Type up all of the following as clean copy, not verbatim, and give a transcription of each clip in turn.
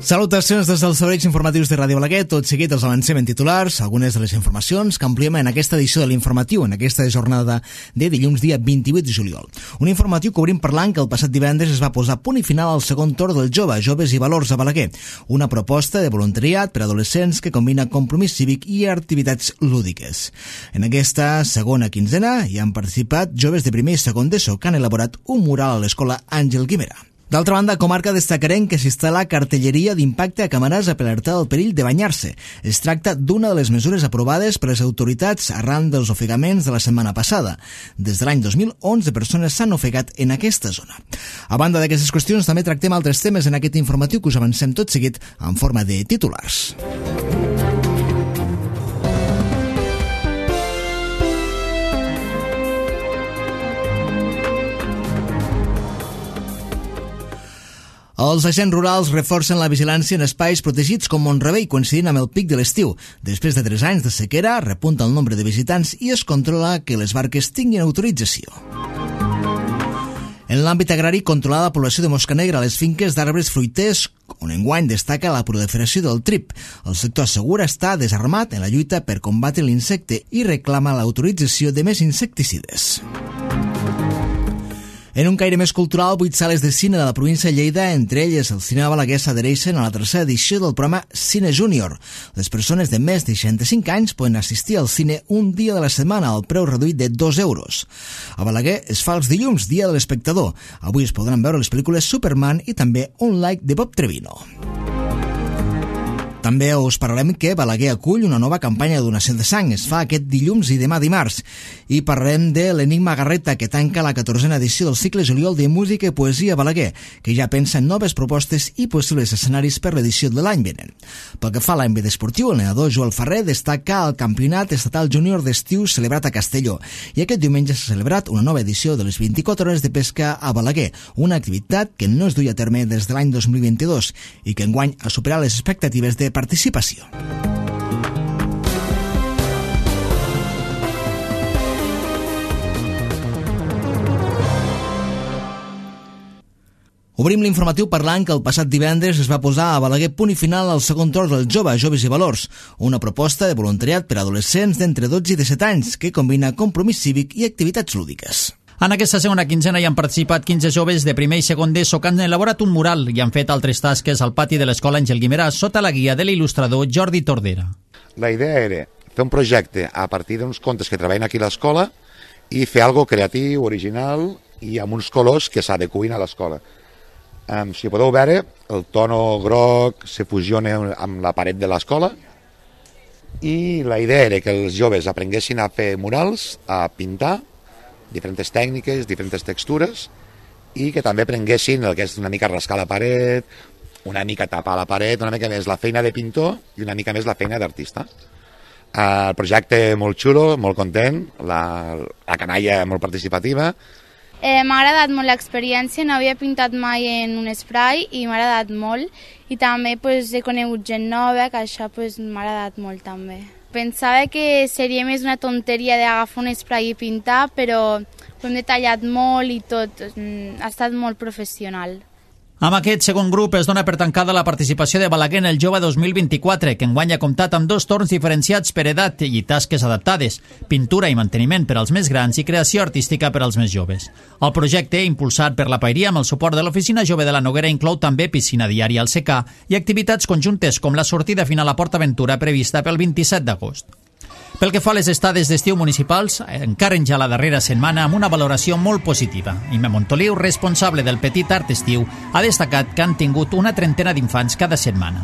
Salutacions des dels serveis informatius de Ràdio Balaguer. Tot seguit els avancem en titulars, algunes de les informacions que ampliem en aquesta edició de l'informatiu, en aquesta jornada de dilluns dia 28 de juliol. Un informatiu que obrim parlant que el passat divendres es va posar punt i final al segon torn del Joves i Valors a Balaguer, una proposta de voluntariat per a adolescents que combina compromís cívic i activitats lúdiques. En aquesta segona quinzena hi han participat joves de primer i segon d'ESO que han elaborat un mural a l'escola Àngel Guimerà. D'altra banda, a comarca destacarem que s'instal·la cartelleria d'impacte a Camarasa per alertar del perill de banyar-se. Es tracta d'una de les mesures aprovades per les autoritats arran dels ofegaments de la setmana passada. Des de l'any 2011 persones s'han ofegat en aquesta zona. A banda d'aquestes qüestions, també tractem altres temes en aquest informatiu que us avancem tot seguit en forma de titulars. Els agents rurals reforcen la vigilància en espais protegits com Mont-rebei, coincidint amb el pic de l'estiu. Després de 3 anys de sequera, repunta el nombre de visitants i es controla que les barques tinguin autorització. En l'àmbit agrari, controlar la població de mosca negra a les finques d'arbres fruiters, on enguany destaca la proliferació del trip. El sector assegura estar desarmat en la lluita per combatre l'insecte i reclama l'autorització de més insecticides. En un caire més cultural, 8 sales de cine de la província de Lleida, entre elles el cinema balaguer, s'adhereixen a la tercera edició del programa Cine Júnior. Les persones de més de 65 anys poden assistir al cine un dia de la setmana al preu reduït de 2 euros. A Balaguer es fa els dilluns, dia de l'espectador. Avui es podran veure les pel·lícules Superman i també Un like de Bob Trevino. També us parlarem que Balaguer acull una nova campanya de donació de sang. Es fa aquest dilluns i demà dimarts. I parlarem de l'Enigma Garreta, que tanca la 14a edició del cicle juliol de música i poesia a Balaguer, que ja pensa en noves propostes i possibles escenaris per l'edició de l'any vinent. Pel que fa a l'àmbit esportiu, el nedador Joel Ferrer destaca el campionat estatal júnior d'estiu celebrat a Castelló. I aquest diumenge s'ha celebrat una nova edició de les 24 hores de pesca a Balaguer, una activitat que no es duia a terme des de l'any 2022 i que enguany ha superat les expectatives de participació. Obrim l'informatiu parlant que el passat divendres es va posar a Balaguer punt i final al segon torn del Joves i Valors, una proposta de voluntariat per a adolescents d'entre 12 i 17 anys que combina compromís cívic i activitats lúdiques. En aquesta segona quinzena hi han participat 15 joves de primer i segon d'ESO que han elaborat un mural i han fet altres tasques al pati de l'escola Àngel Guimerà sota la guia de l'il·lustrador Jordi Tordera. La idea era fer un projecte a partir d'uns contes que treballen aquí a l'escola i fer algo creatiu, original i amb uns colors que s'adecuïn a l'escola. Si podeu veure, el tono groc se fusiona amb la paret de l'escola i la idea era que els joves aprenguessin a fer murals, a pintar, diferents tècniques, diferents textures i que també aprenguessin el que és una mica rascar la paret, una mica tapar la paret, una mica més la feina de pintor i una mica més la feina d'artista. El projecte molt xulo, molt content, la canalla molt participativa. M'ha agradat molt l'experiència, no havia pintat mai en un spray i m'ha agradat molt i també he conegut gent nova, que això m'ha agradat molt també. Pensava que seria més una tonteria d'agafar un spray i pintar, però ho hem detallat molt i tot, ha estat molt professional. Amb aquest segon grup es dona per tancada la participació de Balaguer en el Jove 2024, que enguany ha comptat amb 2 torns diferenciats per edat i tasques adaptades, pintura i manteniment per als més grans i creació artística per als més joves. El projecte, impulsat per la Pairia amb el suport de l'Oficina Jove de la Noguera, inclou també piscina diària al secà i activitats conjuntes com la sortida final a Port Aventura prevista pel 27 d'agost. Pel que fa a les estades d'estiu municipals, encaren ja la darrera setmana amb una valoració molt positiva. Ime Montoliu, responsable del Petit Art Estiu, ha destacat que han tingut una trentena d'infants cada setmana.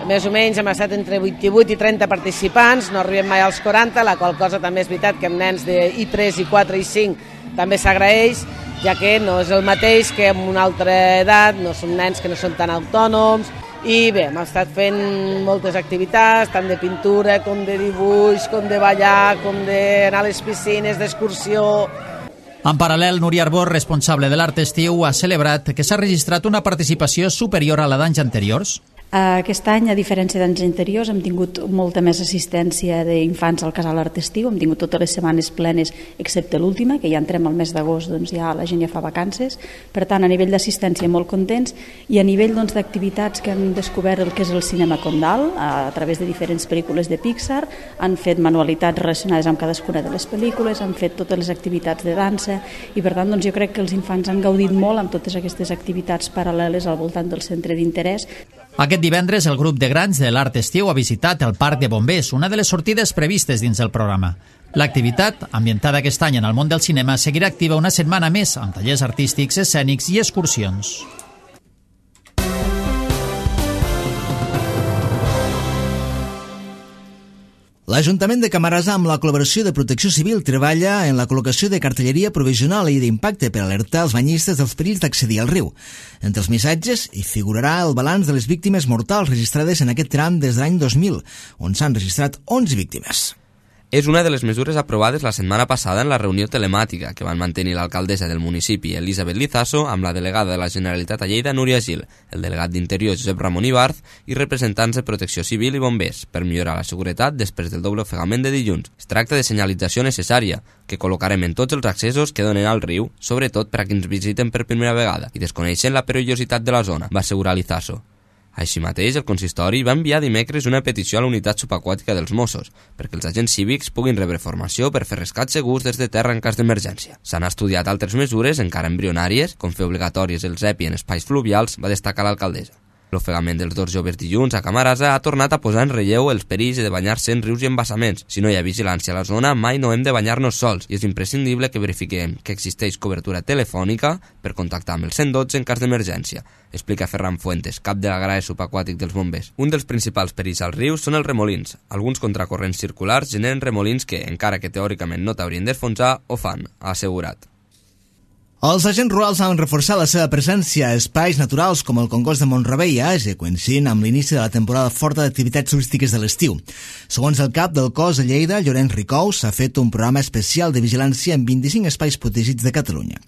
Més o menys hem estat entre 28 i 30 participants, no arribem mai als 40, la qual cosa també és veritat que amb nens de I3, I4 i 5 també s'agraeix, ja que no és el mateix que amb una altra edat, no són nens que no són tan autònoms. I bé, hem estat fent moltes activitats, tant de pintura, com de dibuix, com de ballar, com d'anar a les piscines, d'excursió. En paral·lel, Núria Arbor, responsable de l'Art Estiu, ha celebrat que s'ha registrat una participació superior a la d'anys anteriors. Aquest any, a diferència d'anys anteriors, hem tingut molta més assistència d'infants al casal Art Estiu, hem tingut totes les setmanes plenes, excepte l'última, que ja entrem al mes d'agost, doncs ja la gent ja fa vacances. Per tant, a nivell d'assistència molt contents, i a nivell d'activitats que han descobert el que és el cinema Condal, a través de diferents pel·lícules de Pixar, han fet manualitats relacionades amb cadascuna de les pel·lícules, han fet totes les activitats de dansa, i per tant doncs, jo crec que els infants han gaudit molt amb totes aquestes activitats paral·leles al voltant del centre d'interès. Aquest divendres, el grup de grans de l'Art Estiu ha visitat el Parc de Bombers, una de les sortides previstes dins del programa. L'activitat, ambientada aquest any en el món del cinema, seguirà activa una setmana més, amb tallers artístics, escènics i excursions. L'Ajuntament de Camarasa, amb la col·laboració de Protecció Civil, treballa en la col·locació de cartelleria provisional i d'impacte per alertar els banyistes dels perills d'accedir al riu. Entre els missatges hi figurarà el balanç de les víctimes mortals registrades en aquest tram des de l'any 2000, on s'han registrat 11 víctimes. És una de les mesures aprovades la setmana passada en la reunió telemàtica que van mantenir l'alcaldessa del municipi, Elisabet Lizaso, amb la delegada de la Generalitat a Lleida, Núria Gil, el delegat d'Interior, Josep Ramon Ibarz, i representants de Protecció Civil i Bombers, per millorar la seguretat després del doble ofegament de dilluns. Es tracta de senyalització necessària, que col·locarem en tots els accessos que donen al riu, sobretot per a qui ens visiten per primera vegada i desconeixen la perillositat de la zona, va assegurar Lizaso. Així mateix, el consistori va enviar dimecres una petició a la unitat subaquàtica dels Mossos perquè els agents cívics puguin rebre formació per fer rescats segurs des de terra en cas d'emergència. S'han estudiat altres mesures, encara embrionàries, com fer obligatòries els EPI en espais fluvials, va destacar l'alcaldessa. L'ofegament dels dos joves dilluns a Camarasa ha tornat a posar en relleu els perills de banyar-se en rius i embassaments. Si no hi ha vigilància a la zona, mai no hem de banyar-nos sols i és imprescindible que verifiquem que existeix cobertura telefònica per contactar amb el 112 en cas d'emergència, explica Ferran Fuentes, cap de l'Agrari Subaquàtic dels Bombers. Un dels principals perills als rius són els remolins. Alguns contracorrents circulars generen remolins que, encara que teòricament no t'haurien d'enfonsar, ho fan, ha assegurat. Els agents rurals han reforçat la seva presència a espais naturals com el Congost de Mont-rebei a Ase, coincidint amb l'inici de la temporada forta d'activitats turístiques de l'estiu. Segons el cap del cos de Lleida, Llorenç Ricou, s'ha fet un programa especial de vigilància en 25 espais protegits de Catalunya.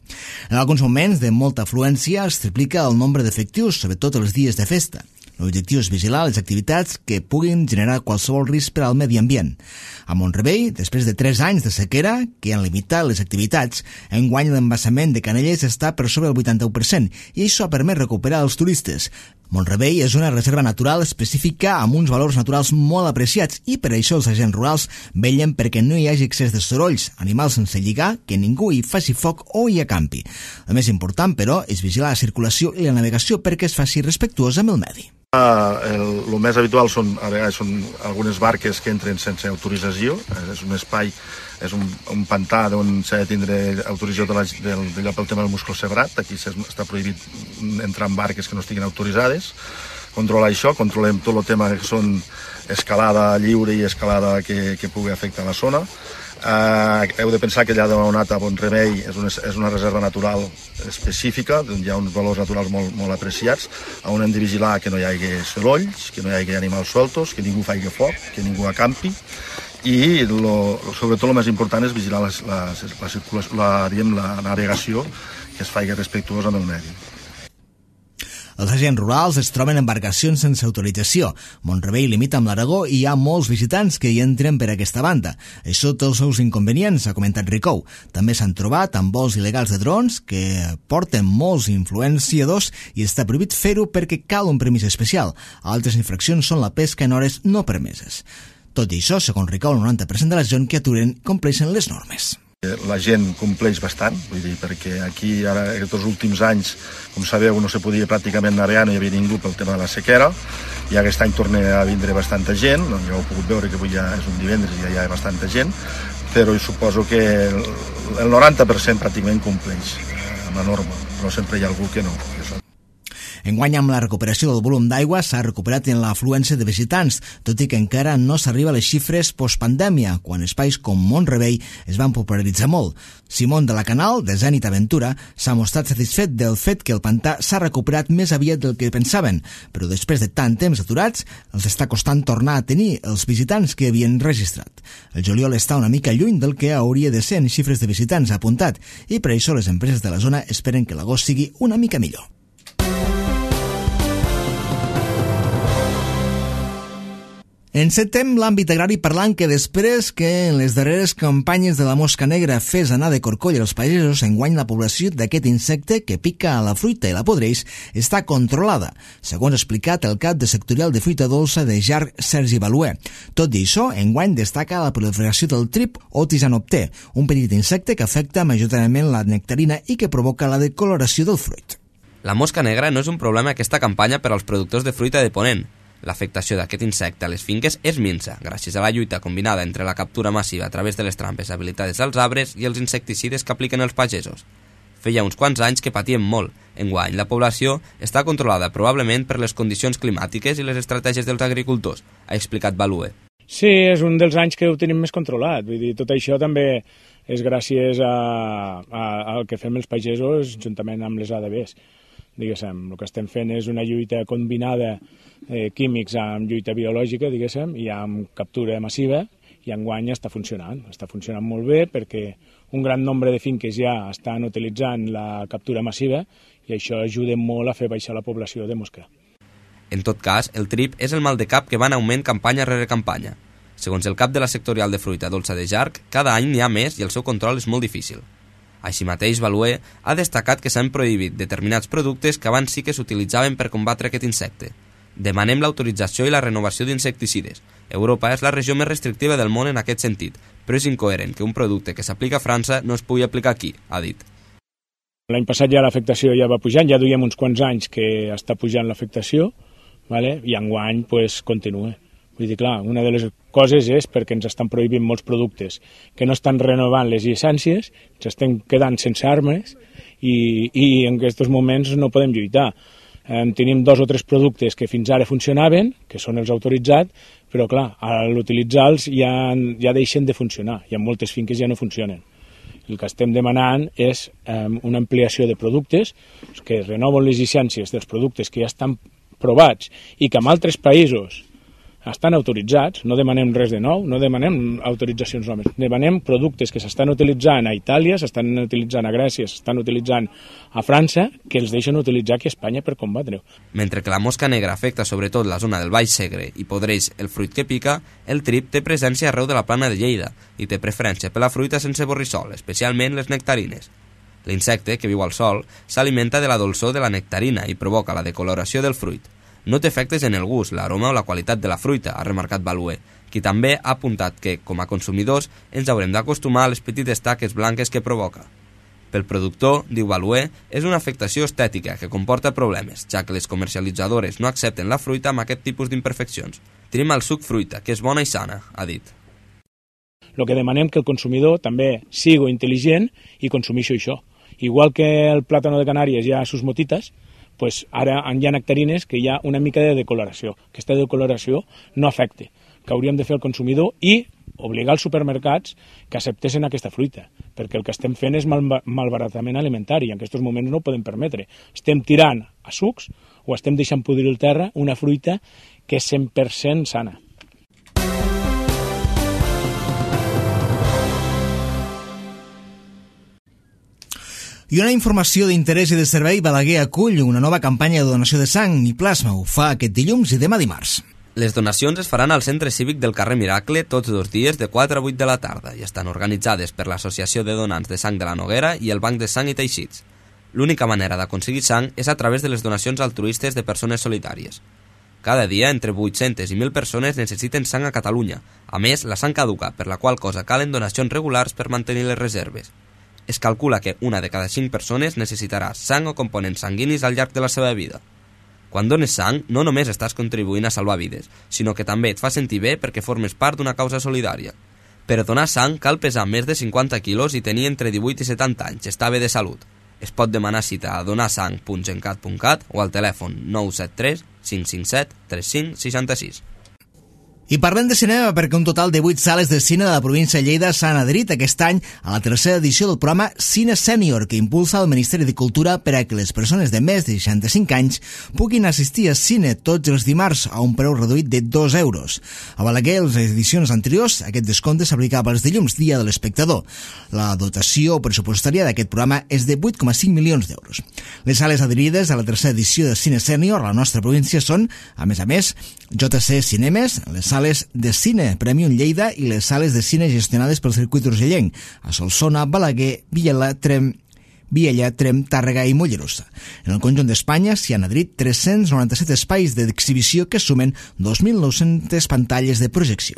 En alguns moments de molta afluència es triplica el nombre d'efectius, sobretot els dies de festa. L'objectiu és vigilar les activitats que puguin generar qualsevol risc per al medi ambient. A Mont-rebei, després de 3 anys de sequera, que han limitat les activitats, enguany l'embassament de Canelles està per sobre el 81% i això ha permès recuperar els turistes. Mont-rebei és una reserva natural específica amb uns valors naturals molt apreciats i per això els agents rurals vetllen perquè no hi hagi excés de sorolls, animals sense lligar, que ningú hi faci foc o hi acampi. El més important, però, és vigilar la circulació i la navegació perquè es faci respectuosa amb el medi. El més habitual són algunes barques que entren sense autorització. És un espai, és un pantà on s'ha de tindre autorització d'allò pel tema del musclocebrat. Aquí està prohibit entrar en barques que no estiguin autoritzades. Controlar això, controlem tot el tema que són escalada lliure i escalada que pugui afectar la zona. Heu de pensar que allà de Mont-rebei a Mont-rebei és una reserva natural específica, on hi ha uns valors naturals molt apreciats, on hem de vigilar que no hi hagi sorolls, que no hi hagi animals sueltos, que ningú faci foc, que ningú acampi, i sobretot el més important és vigilar la navegació, que es faci respectuosa amb el medi. Els agents rurals es troben en embarcacions sense autorització. Mont-rebei limita amb l'Aragó i hi ha molts visitants que hi entren per aquesta banda. Això té els seus inconvenients, ha comentat Ricou. També s'han trobat amb vols il·legals de drons que porten molts influenciadors i està prohibit fer-ho perquè cal un permís especial. Altres infraccions són la pesca en hores no permeses. Tot i això, segons Ricou, el 90% de la gent que aturen compleixen les normes. La gent compleix bastant, vull dir, perquè aquí ara aquests últims anys, com sabeu, no se podia pràcticament navegar, no hi havia ningú pel tema de la sequera, i aquest any torna a vindre bastanta gent, ja heu pogut veure que avui ja és un divendres i ja hi ha bastanta gent, però suposo que el 90% pràcticament compleix amb la norma, però sempre hi ha algú que no. Enguany, amb la recuperació del volum d'aigua, s'ha recuperat en l'afluència de visitants, tot i que encara no s'arriba a les xifres postpandèmia, quan espais com Mont-rebei es van popularitzar molt. Simón de la Canal, de Zenit Aventura, s'ha mostrat satisfet del fet que el pantà s'ha recuperat més aviat del que pensaven, però després de tant temps aturats, els està costant tornar a tenir els visitants que havien registrat. El juliol està una mica lluny del que hauria de ser en xifres de visitants, ha apuntat, i per això les empreses de la zona esperen que l'agost sigui una mica millor. Encetem l'àmbit agrari parlant que després que en les darreres campanyes de la mosca negra fes anar de corcoll als pagesos, enguany la població d'aquest insecte que pica a la fruita i la podreix està controlada, segons ha explicat el cap de sectorial de fruita dolça de Jarc, Sergi Baluer. Tot i això, enguany destaca la proliferació del trip o tisanopter, un petit insecte que afecta majoritàriament la nectarina i que provoca la decoloració del fruit. La mosca negra no és un problema aquesta campanya per als productors de fruita de Ponent. L'afectació d'aquest insecte a les finques és minsa, gràcies a la lluita combinada entre la captura massiva a través de les trampes habilitades als arbres i els insecticides que apliquen els pagesos. Feia uns quants anys que patíem molt. Enguany, la població està controlada probablement per les condicions climàtiques i les estratègies dels agricultors, ha explicat Baluer. Sí, és un dels anys que ho tenim més controlat. Vull dir, tot això també és gràcies al que fem els pagesos juntament amb les ADBs. Diguéssim, el que estem fent és una lluita combinada químics amb lluita biològica, diguéssim, i amb captura massiva, i enguany està funcionant molt bé perquè un gran nombre de finques ja estan utilitzant la captura massiva i això ajuda molt a fer baixar la població de mosca. En tot cas, el trip és el mal de cap que va en augment campanya rere campanya. Segons el cap de la sectorial de fruita dolça de Jarc, cada any n'hi ha més i el seu control és molt difícil. Així mateix, Baluer ha destacat que s'han prohibit determinats productes que abans sí que s'utilitzaven per combatre aquest insecte. Demanem l'autorització i la renovació d'insecticides. Europa és la regió més restrictiva del món en aquest sentit, però és incoherent que un producte que s'aplica a França no es pugui aplicar aquí, ha dit. L'any passat ja l'afectació ja va pujant, ja duiem uns quants anys que està pujant l'afectació, vale? I enguany pues, continua. Vull dir, clar, una de les coses és perquè ens estan prohibint molts productes que no estan renovant les llicències, ens estem quedant sense armes i en aquests moments no podem lluitar. Tenim 2 o 3 productes que fins ara funcionaven, que són els autoritzats, però clar, a l'utilitzar-los ja deixen de funcionar i en moltes finques ja no funcionen. El que estem demanant és una ampliació de productes que renoven les llicències dels productes que ja estan provats i que en altres països estan autoritzats, no demanem res de nou, no demanem autoritzacions noves, demanem productes que s'estan utilitzant a Itàlia, s'estan utilitzant a Grècia, s'estan utilitzant a França, que els deixen utilitzar aquí a Espanya per combatre-ho. Mentre que la mosca negra afecta sobretot la zona del Baix Segre i podreix el fruit que pica, el trip té presència arreu de la plana de Lleida i té preferència per la fruita sense borrissol, especialment les nectarines. L'insecte, que viu al sol, s'alimenta de la dolçor de la nectarina i provoca la decoloració del fruit. No té efectes en el gust, l'aroma o la qualitat de la fruita, ha remarcat Baluer, qui també ha apuntat que, com a consumidors, ens haurem d'acostumar a les petites taques blanques que provoca. Pel productor, diu Baluer, és una afectació estètica que comporta problemes, ja que les comercialitzadores no accepten la fruita amb aquest tipus d'imperfeccions. Tenim el suc fruita, que és bona i sana, ha dit. El que demanem que el consumidor també sigui intel·ligent i consumeixi això. Igual que el plàtano de Canàries hi ha sus motites, pues ara hi ha nectarines que hi ha una mica de decoloració. Aquesta decoloració no afecta, que hauríem de fer el consumidor i obligar els supermercats que acceptessin aquesta fruita, perquè el que estem fent és malbaratament alimentari i en aquests moments no ho podem permetre. Estem tirant a sucs o estem deixant podrir el terra una fruita que és 100% sana. I una informació d'interès i de servei, Balaguer acull una nova campanya de donació de sang i plasma. Ho fa aquest dilluns i demà dimarts. Les donacions es faran al Centre Cívic del carrer Miracle tots 2 dies de 4 a 8 de la tarda i estan organitzades per l'Associació de Donants de Sang de la Noguera i el Banc de Sang i Teixits. L'única manera d'aconseguir sang és a través de les donacions altruistes de persones solitàries. Cada dia, entre 800 i 1.000 persones necessiten sang a Catalunya. A més, la sang caduca, per la qual cosa calen donacions regulars per mantenir les reserves. Es calcula que 1 de cada 5 persones necessitarà sang o components sanguinis al llarg de la seva vida. Quan dones sang, no només estàs contribuint a salvar vides, sinó que també et fa sentir bé perquè formes part d'una causa solidària. Per donar sang cal pesar més de 50 quilos i tenir entre 18 i 70 anys, estar bé de salut. Es pot demanar cita a donarsang.gencat.cat o al telèfon 973 557 3566. I parlem de cinema perquè un total de 8 sales de cine de la província de Lleida s'han adherit aquest any a la 3a edició del programa Cine Sènior que impulsa el Ministeri de Cultura per a que les persones de més de 65 anys puguin assistir a cine tots els dimarts a un preu reduït de 2 euros. A Balaguer, les edicions anteriors, aquest descompte s'aplicava els dilluns, dia de l'espectador. La dotació pressupostària d'aquest programa és de 8,5 milions d'euros. Les sales adherides a la 3a edició de Cine Sènior a la nostra província són, a més, JC Cinemes, les sales sales de cine Premium Lleida i les sales de cine gestionades pel circuit urgellenc a Solsona, Balaguer, Viella, Trem, Tàrrega i Mollerussa. En el conjunt d'Espanya s'hi han adherit 397 espais d'exhibició que sumen 2.900 pantalles de projecció.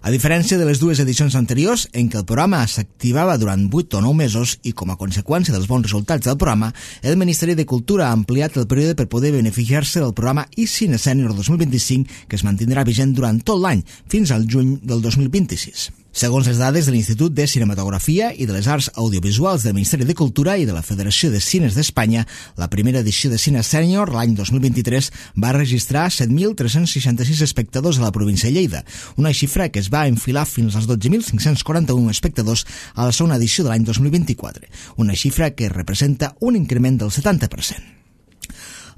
A diferència de les dues edicions anteriors, en què el programa s'activava durant 8 o 9 mesos i com a conseqüència dels bons resultats del programa, el Ministeri de Cultura ha ampliat el període per poder beneficiar-se del programa iCine Sènior 2025, que es mantindrà vigent durant tot l'any, fins al juny del 2026. Segons les dades de l'Institut de Cinematografia i de les Arts Audiovisuals del Ministeri de Cultura i de la Federació de Cines d'Espanya, la primera edició de Cine Sènior, l'any 2023, va registrar 7.366 espectadors a la província de Lleida, una xifra que es va enfilar fins als 12.541 espectadors a la segona edició de l'any 2024, una xifra que representa un increment del 70%.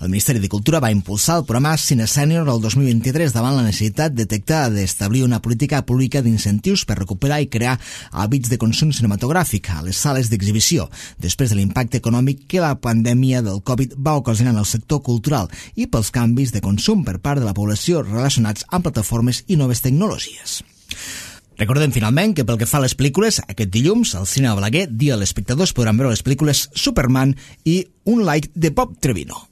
El Ministeri de Cultura va impulsar el programa Cine Sènior el 2023 davant la necessitat detectada d'establir una política pública d'incentius per recuperar i crear hàbits de consum cinematogràfic a les sales d'exhibició, després de l'impacte econòmic que la pandèmia del Covid va ocasionar en el sector cultural i pels canvis de consum per part de la població relacionats amb plataformes i noves tecnologies. Recordem finalment que pel que fa a les pel·lícules, aquest dilluns al Cine de Balaguer, dia els espectadors podran veure les pel·lícules Superman i Un Like de Bob Trevino.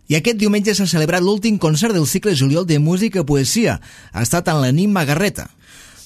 I aquest diumenge s'ha celebrat l'últim concert del cicle Juliol de música i poesia. Ha estat en l'Enigma Garreta.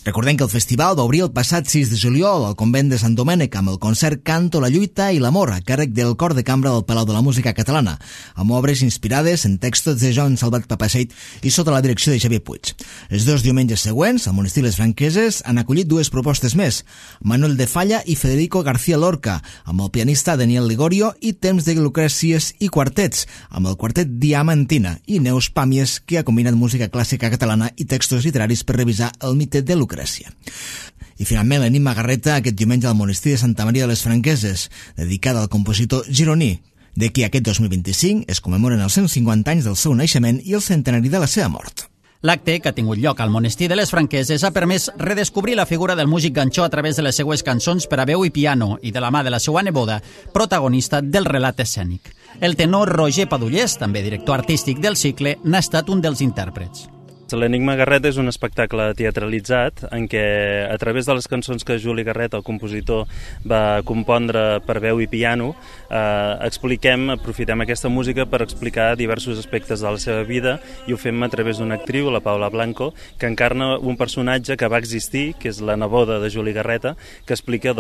Recordem que el festival va obrir el passat 6 de juliol al convent de Sant Domènec amb el concert Canto, la lluita i l'amor a càrrec del Cor de Cambra del Palau de la Música Catalana, amb obres inspirades en textos de Joan Salvat Papaseit i sota la direcció de Xavier Puig. Els dos diumenges següents, al Monestir Les Franqueses, han acollit dues propostes més, Manuel de Falla i Federico García Lorca, amb el pianista Daniel Ligorio i Temps de Lucrècies i quartets, amb el quartet Diamantina i Neus Pàmies, que ha combinat música clàssica catalana i textos literaris per revisar el mite de Lucrècia. I finalment l'Enigma Garreta aquest diumenge al Monestir de Santa Maria de les Franqueses, dedicada al compositor gironí, de qui aquest 2025 es commemoren els 150 anys del seu naixement i el centenari de la seva mort. L'acte, que ha tingut lloc al Monestir de les Franqueses, ha permès redescobrir la figura del músic ganxó a través de les seues cançons per a veu i piano i de la mà de la seva neboda, protagonista del relat escènic. El tenor Roger Padullés, també director artístic del cicle, n'ha estat un dels intèrprets. L'Enigma Garreta és un espectacle teatralitzat en què, a través de les cançons que Juli Garreta, el compositor, va compondre per veu i piano, aprofitem aquesta música per explicar diversos aspectes de la seva vida i ho fem a través d'una actriu, la Paula Blanco, que encarna un personatge que va existir, que és la neboda de Juli Garreta, que explica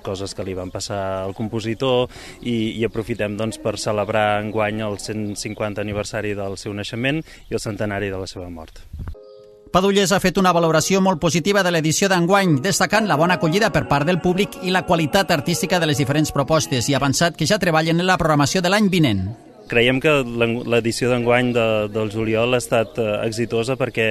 coses que li van passar al compositor i aprofitem per celebrar enguany el 150 aniversari del seu naixement i el centenari de la seva mort. Padullés ha fet una valoració molt positiva de l'edició d'enguany, destacant la bona acollida per part del públic i la qualitat artística de les diferents propostes i ha avançat que ja treballen en la programació de l'any vinent. Creiem que l'edició d'enguany del juliol ha estat exitosa perquè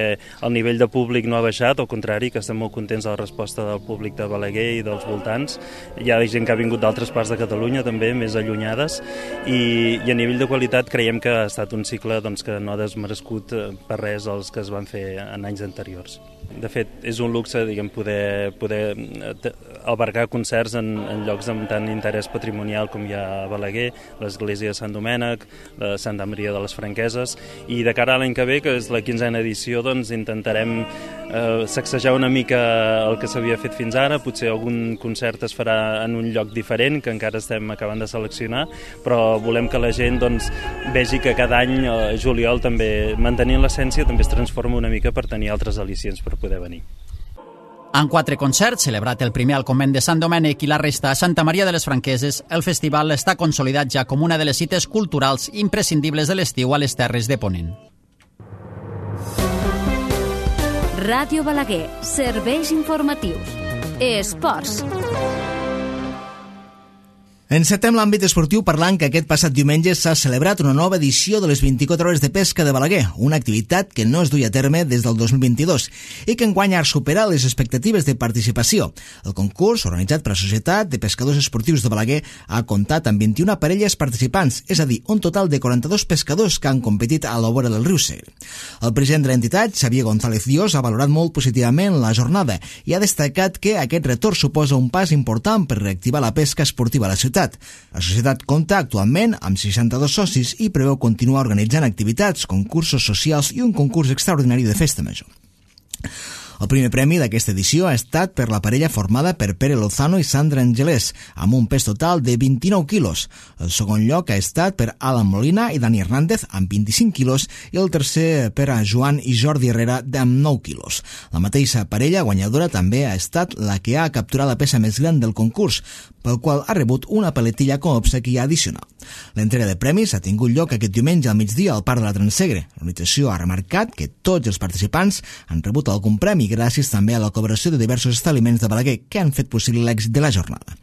el nivell de públic no ha baixat, al contrari, que estem molt contents de la resposta del públic de Balaguer i dels voltants. Hi ha gent que ha vingut d'altres parts de Catalunya, també, més allunyades, i a nivell de qualitat creiem que ha estat un cicle que no ha desmerescut per res els que es van fer en anys anteriors. De fet, és un luxe poder albergar concerts en llocs amb tant interès patrimonial com hi ha a Balaguer, l'església de Sant Domènec, de Santa Maria de les Franqueses, i de cara a l'any que ve, que és la 15a edició, intentarem sacsejar una mica el que s'havia fet fins ara. Potser algun concert es farà en un lloc diferent, que encara estem acabant de seleccionar, però volem que la gent vegi que cada any, juliol, també mantenint l'essència, també es transforma una mica per tenir altres al·licients per poder venir. En 4 concerts, celebrat el primer al convent de Sant Domènec i la resta a Santa Maria de les Franqueses, el festival està consolidat ja com una de les cites culturals imprescindibles de l'estiu a les Terres de Ponent. Ràdio Balaguer, serveis informatius. Esports. Encetem l'àmbit esportiu parlant que aquest passat diumenge s'ha celebrat una nova edició de les 24 hores de pesca de Balaguer, una activitat que no es duia a terme des del 2022 i que enguany ha superat les expectatives de participació. El concurs, organitzat per la Societat de Pescadors Esportius de Balaguer, ha comptat amb 21 parelles participants, és a dir, un total de 42 pescadors que han competit a la vora del riu Segre. El president de l'entitat, Xavier González Dios, ha valorat molt positivament la jornada i ha destacat que aquest retorn suposa un pas important per reactivar la pesca esportiva a la ciutat. La societat compta actualment amb 62 socis i preveu continuar organitzant activitats, concursos socials i un concurs extraordinari de festa major. El primer premi d'aquesta edició ha estat per la parella formada per Pere Lozano i Sandra Angelès, amb un pes total de 29 quilos. El segon lloc ha estat per Alan Molina i Dani Hernández, amb 25 quilos, i el tercer per a Joan i Jordi Herrera, amb 9 quilos. La mateixa parella guanyadora també ha estat la que ha capturat la peça més gran del concurs, pel qual ha rebut una paletilla com a obsequi addicional. L'entrega de premis ha tingut lloc aquest diumenge al migdia al Parc de la Transegre. L'organització ha remarcat que tots els participants han rebut algun premi gràcies també a la col·laboració de diversos establiments de Balaguer que han fet possible l'èxit de la jornada.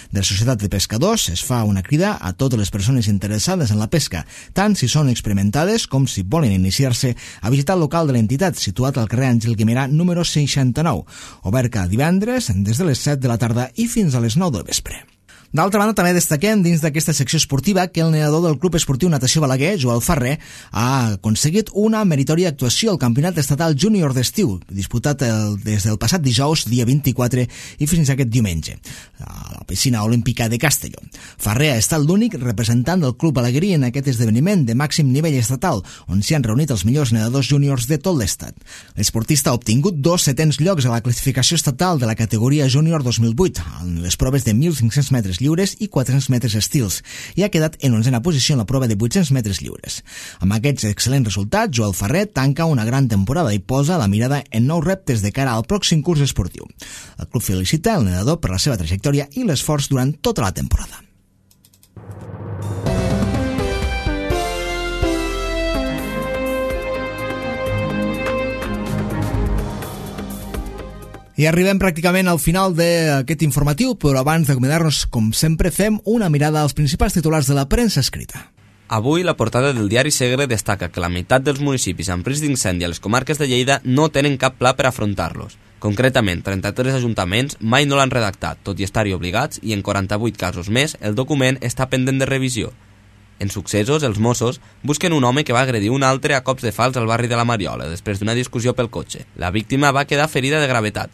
De la Societat de Pescadors es fa una crida a totes les persones interessades en la pesca, tant si són experimentades com si volen iniciar-se, a visitar el local de l'entitat situat al carrer Àngel Guimerà número 69, obert cada divendres des de les 7 de la tarda i fins a les 9 del vespre. D'altra banda, també destaquem dins d'aquesta secció esportiva que el nedador del Club Esportiu Natació Balaguer, Joel Ferrer, ha aconseguit una meritòria actuació al Campionat Estatal Júnior d'Estiu, disputat des del passat dijous, dia 24, i fins aquest diumenge, a la piscina olímpica de Castelló. Ferrer ha estat l'únic representant del Club Balaguerí en aquest esdeveniment de màxim nivell estatal, on s'hi han reunit els millors nedadors júniors de tot l'estat. L'esportista ha obtingut 2 setens llocs a la classificació estatal de la categoria Júnior 2008, en les proves de 1.500 metres lliures i 400 metres estils, i ha quedat en 11a posició en la prova de 800 metres lliures. Amb aquests excel·lents resultats, Joel Ferrer tanca una gran temporada i posa la mirada en nous reptes de cara al pròxim curs esportiu. El club felicita el nedador per la seva trajectòria i l'esforç durant tota la temporada. I arribem pràcticament al final d'aquest informatiu, però abans d'acomiadar-nos, com sempre, fem una mirada als principals titulars de la premsa escrita. Avui la portada del diari Segre destaca que la meitat dels municipis amb risc d'incendi a les comarques de Lleida no tenen cap pla per afrontar-los. Concretament, 33 ajuntaments mai no l'han redactat, tot i estar-hi obligats, i en 48 casos més el document està pendent de revisió. En successos, els Mossos busquen un home que va agredir un altre a cops de falç al barri de la Mariola després d'una discussió pel cotxe. La víctima va quedar ferida de gravetat.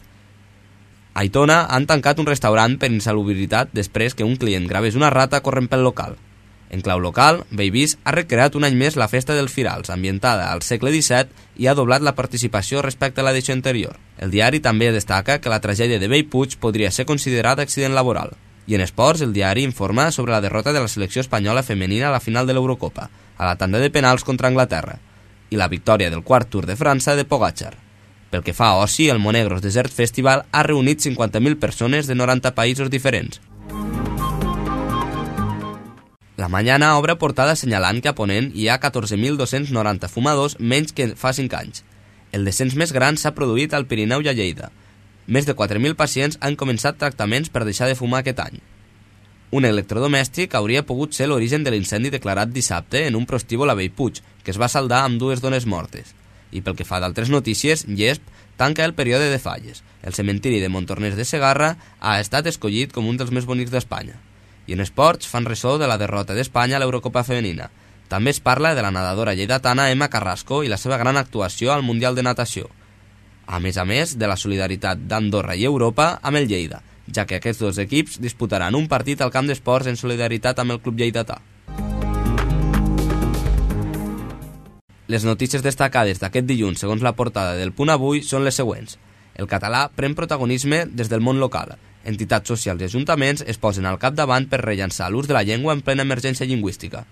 A Aitona han tancat un restaurant per insalubritat després que un client gravés una rata corrent pel local. En clau local, Bellvís ha recreat un any més la festa dels Firals, ambientada al segle XVII, i ha doblat la participació respecte a l'edició anterior. El diari també destaca que la tragèdia de Bellpuig podria ser considerada accident laboral. I en esports, el diari informa sobre la derrota de la selecció espanyola femenina a la final de l'Eurocopa, a la tanda de penals contra Anglaterra, i la victòria del quart Tour de França de Pogačar. Pel que fa a oci, el Monegros Desert Festival ha reunit 50.000 persones de 90 països diferents. La Mañana obre portada assenyalant que a Ponent hi ha 14.290 fumadors menys que fa 5 anys. El descens més gran s'ha produït al Pirineu i a Lleida. Més de 4.000 pacients han començat tractaments per deixar de fumar aquest any. Un electrodomèstic hauria pogut ser l'origen de l'incendi declarat dissabte en un prostíbul a Bellpuig, que es va saldar amb 2 dones mortes. I pel que fa d'altres notícies, Llesp tanca el període de falles. El cementiri de Montornès de Segarra ha estat escollit com un dels més bonics d'Espanya. I en esports fan ressò de la derrota d'Espanya a l'Eurocopa femenina. També es parla de la nedadora lleidatana Emma Carrasco i la seva gran actuació al Mundial de Natació. A més, de la solidaritat d'Andorra i Europa amb el Lleida, ja que aquests dos equips disputaran un partit al camp d'esports en solidaritat amb el club lleidatà. Les notícies destacades d'aquest dilluns, segons la portada del Punt Avui, són les següents. El català pren protagonisme des del món local. Entitats socials i ajuntaments es posen al capdavant per rellançar l'ús de la llengua en plena emergència lingüística.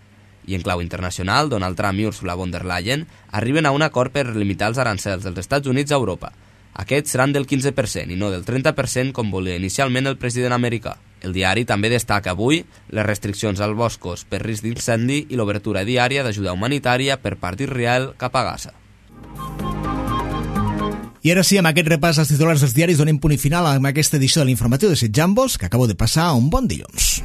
I en clau internacional, Donald Trump i Ursula von der Leyen arriben a un acord per limitar els arancels dels Estats Units a Europa. Aquests seran del 15% i no del 30% com volia inicialment el president americà. El diari també destaca avui les restriccions als boscos per risc d'incendi i l'obertura diària d'ajuda humanitària per part d'Israel cap a Gaza. I ara sí, amb aquest repàs als titulars dels diaris donem punt i final amb aquesta edició de l'informatiu de Set Jambos, que acabo de passar un bon dilluns.